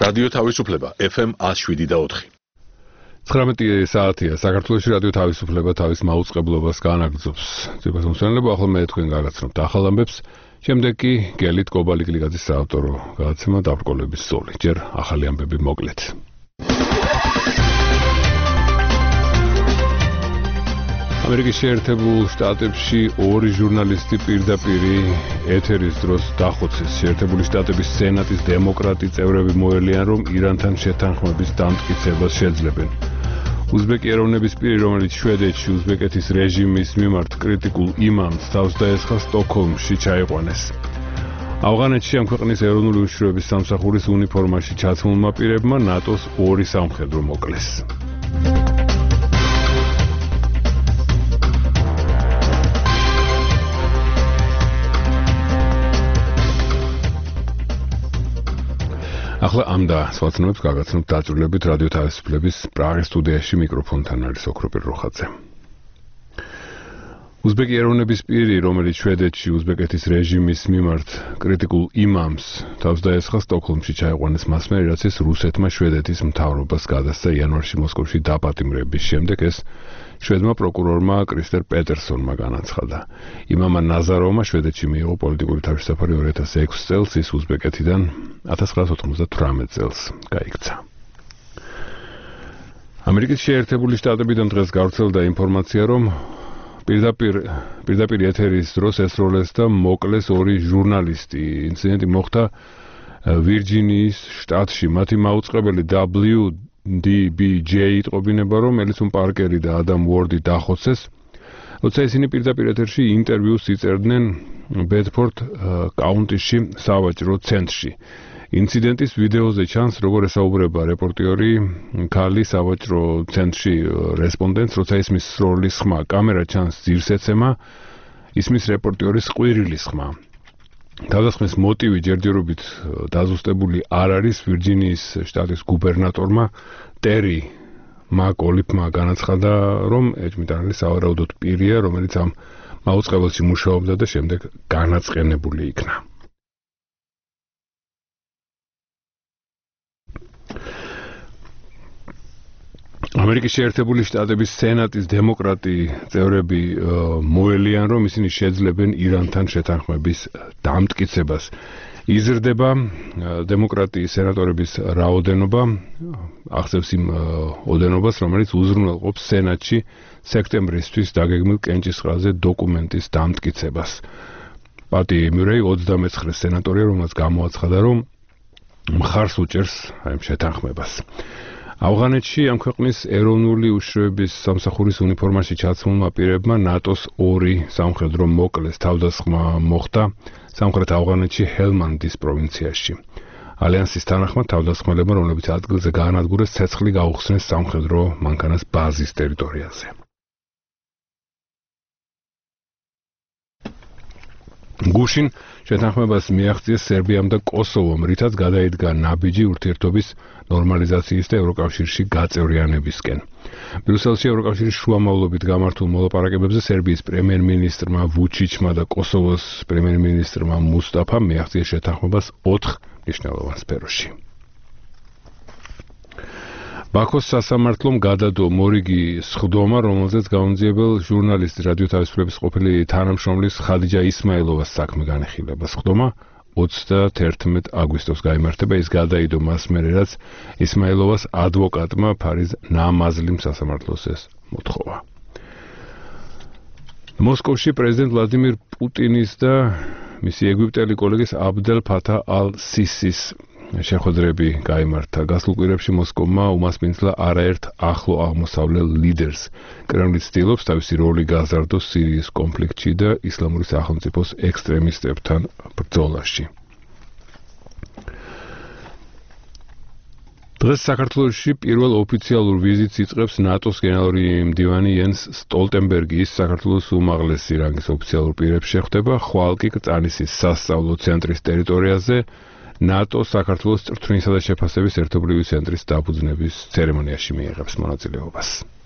რადიო თავისუფლება FM 107.4. 19 საათია საქართველოში რადიო თავისუფლება თავის მაუწყებლობას განაგრძობს. ძვირფას მსმენელებო, ახლა მე თქვენ გაგაცნობთ ახალ ამბებს, შემდეგ კი გელით კობალიკლიგაძის საავტორო გადაცემა დაბრკოლების ზოლი. ჯერ ახალი ამბები მოკლედ. ამერიკის შეერთებულ შტატებში ორი ჟურნალისტი პირდაპირ ეთერის დროს დახოცეს. შეერთებული შტატების სენატის დემოკრატი წევრები მოელიან, რომ ირანთან შეთანხმების დამტკიცებას შეძლებენ. უზბეკი ეროვნების პირი, რომელიც შვედეთში უზბეკეთის რეჟიმის მიმართ კრიტიკულ იმამს თავს დაესხა, სტოკჰოლმში ჩაიყვანეს. ავღანეთში ამ ქვეყნის ეროვნული უშიშროების სამსახურის უნიფორმაში ჩაცმულმა პირებმა ნატოს ორი სამხედრო მოკლეს. ახლა ამ და სხვა ცნობებს გაგაცნობთ დაწვრილებით რადიო თავისუფლების პრაღის სტუდიაში მიკროფონთან არის ოქროპირ როხაძე. უზბეკი ეროვნების პირი, რომელიც შვედეთში უზბეკეთის რეჟიმის მიმართ კრიტიკულ იმამს თავს დაესხა, სტოკჰოლმში ჩაიყვანეს მას მერე, რაც ის რუსეთმა შვედეთის მთავრობას გადასცა იანვარში მოსკოვში დაპატიმრების შემდეგ. ეს შვედმა პროკურორმა კრისტერ პეტერსონმა განაცხადა. იმამა ნაზაროვმა შვედეთში მიიღო პოლიტიკური თავშესაფარი 2006 წელს, ის უზბეკეთიდან 1998 წელს გაიქცა. ამერიკის შეერთებული შტატებიდან დღეს გავრცელდა ინფორმაცია, რომ პირდაპირ ეთერის დროს ესროლეს და მოკლეს ორი ჟურნალისტი. ინციდენტი მოხდა ვირჯინიის შტატში. მათი მაუწყებელი WDBJ იტყობინება, რომ ელისონ პარკერი და ადამ უორდი დახოცეს, როცა ისინი პირდაპირ ეთერში ინტერვიუს იწერდნენ ბედფორდ კაუნტიში სავაჭრო ცენტრში. ინციდენტის ვიდეოზე ჩანს, როგორ ესაუბრება რეპორტიორი ქალი სავაჭრო ცენტრში რესპონდენტს, როცა ისმის სროლის ხმა. კამერა ჩანს ძირსეცემა, ისმის რეპორტიორის ყვირილის ხმა. თავდასხმის მოტივი ჯერჯერობით დაზუსტებული არ არის. ვირჯინიის შტატის გუბერნატორმა ტერი მაკოლიფმა განაცხადა, რომ ეჭვმიტანილი სავარაუდოდ პირია, რომელიც ამ მაუწყებელში მუშაობდა და შემდეგ განაწყენებული იქნა. ამერიკის შეერთებული შტატების სენატის დემოკრატი წევრები მოელიან, რომ ისინი შეძლებენ ირანთან შეთანხმების დამტკიცებას. იზრდება დემოკრატიის სენატორების რაოდენობა, აღწევს იმ ოდენობას, რომელიც უზრუნველყოფს სენატში სექტემბრისთვის დაგეგმილ კენჭისყრაზე დოკუმენტის დამტკიცებას. პატი მიურეი 29 სენატორია, რომელსაც გამოაცხადა, რომ მხარს უჭერს ამ შეთანხმებას. ავღანეთში ამ ქვეყნის ეროვნული უშიშროების სამსახურის უნიფორმაში ჩაცმულმა პირებმა ნატოს ორი სამხედრო მოკლეს. თავდასხმა მოხდა სამხრეთ ავღანეთში ჰელმანდის პროვინციაში. ალიანსის თანახმად თავდასხმელებმა, რომლებიც ადგილზე გაანადგურეს, ცეცხლი გაუხსნეს სამხედრო მანქანას ბაზის ტერიტორიაზე. გუშინ შეთანხმებას მიაღწიეს სერბიამ და კოსოვომ, რითაც გადაიდგა ნაბიჯი ურთიერთობის ნორმალიზაციის და ევროკავშირში გაწევრიანებისკენ. ბრიუსელში ევროკავშირის შუამავლობით გამართულ მოლაპარაკებებზე სერბიის პრემიერ-მინისტრმა ვუჩიჩმა და კოსოვოს პრემიერ-მინისტრმა მუსტაფამ მიაღწიეს შეთანხმებას 4 მნიშვნელოვან სფეროში. ბაქოს სასამართლომ გადადო მორიგი სხდომა, რომელზეც გაუნძიებელ ჟურნალისტ რადიო თავისუფლების ყოფილი თანამშრომლის ხადიჯა ისმაილოვას საქმე განეხილება. სხდომა 31 აგვისტოს გაიმართება. ის გადაიდო მას მერე, რაც ისმაილოვას ადვოკატმა ფარიზ ნამაზლიმ სასამართლოს ეს მოთხოვა. მოსკოვში პრეზიდენტ ვლადიმირ პუტინის და მისი ეგვიპტელი კოლეგის აბდელ ფათა ალ-სისის შეხვედრები გაიმართა. გასულ კვირებში მოსკოვმა უმასპინძლა არაერთ ახლო აღმოსავლელ ლიდერს. კრემლი ცდილობს თავისი როლი გაზარდოს სირიის კონფლიქტში და ისლამური სახელმწიფოს ექსტრემისტებთან ბრძოლაში. დღეს საქართველოში პირველ ოფიციალურ ვიზიტს იწყებს ნატოს გენერალური მდივანი იენს სტოლტენბერგი. ის საქართველოს უმაღლესი რანგის ოფიციალურ პირებს შეხვდება. ხვალ კი კრწანისის სასწავლო ცენტრის ტერიტორიაზე ნატო საქართველოს წვრთნისა და შეფასების ერთობლივი ცენტრის დაფუძნების ცერემონიაში მიიღებს მონაწილეობას.